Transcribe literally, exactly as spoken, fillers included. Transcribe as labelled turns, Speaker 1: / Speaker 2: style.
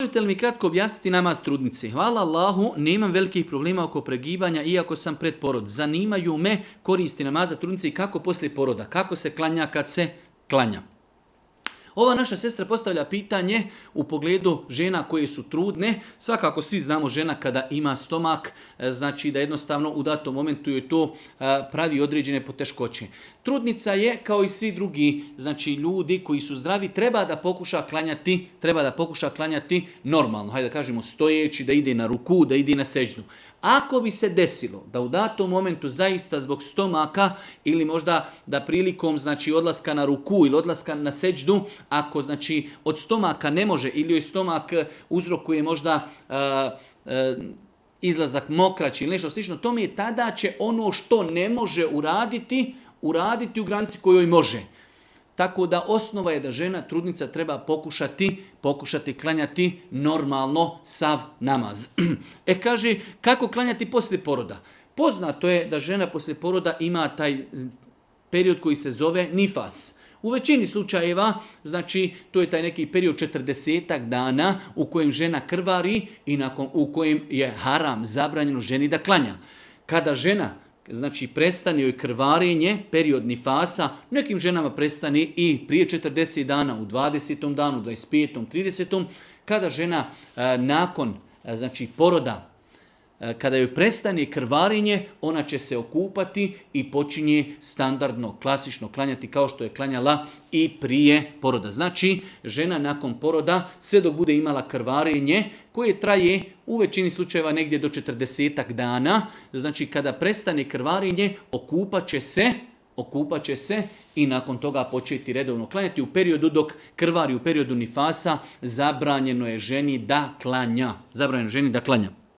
Speaker 1: Možete li mi kratko objasniti namaz trudnice? Hvala Allahu, nemam velikih problema oko pregibanja, iako sam pred porod. Zanimaju me koristi namaza trudnice i kako poslije poroda, kako se klanja kad se klanja. Ova naša sestra postavlja pitanje u pogledu žena koje su trudne. Svakako svi znamo žena kada ima stomak, znači da jednostavno u datom momentu joj to pravi određene poteškoće. Trudnica je kao i svi drugi, znači ljudi koji su zdravi, treba da pokuša klanjati, treba da pokuša klanjati normalno, hajde da kažemo stojeći, da ide na ruku, da ide na seždu. Ako bi se desilo da u datom momentu zaista zbog stomaka ili možda da prilikom znači odlaska na ruku ili odlaska na seđdu, ako znači od stomaka ne može ili joj stomak uzrokuje možda uh, uh, izlazak mokraći ili nešto slično, to mi je tada će ono što ne može uraditi, uraditi u granici kojoj može. Tako da osnova je da žena trudnica treba pokušati, pokušati klanjati normalno sav namaz. E kaže, kako klanjati poslije poroda? Poznato je da žena poslije poroda ima taj period koji se zove nifas. U većini slučajeva, znači, to je taj neki period četrdesetak dana u kojem žena krvari i nakon, u kojem je haram zabranjeno ženi da klanja. Kada žena znači prestane joj krvarenje, period nifasa, nekim ženama prestane i prije četrdeset dana, u dvadesetom danu, dvadeset petom, tridesetom kada žena a, nakon a, znači poroda, a, kada joj prestane krvarenje, ona će se okupati i počinje standardno, klasično klanjati kao što je klanjala i prije poroda. Znači, žena nakon poroda, sve dok bude imala krvarenje, koje traje u većini slučajeva negdje do četrdesetak dana, znači kada prestane krvarenje, okupat će se, okupat će se i nakon toga početi redovno klanjati. U periodu dok krvari, u periodu nifasa, zabranjeno je ženi da klanja. Zabranjeno je ženi da klanja.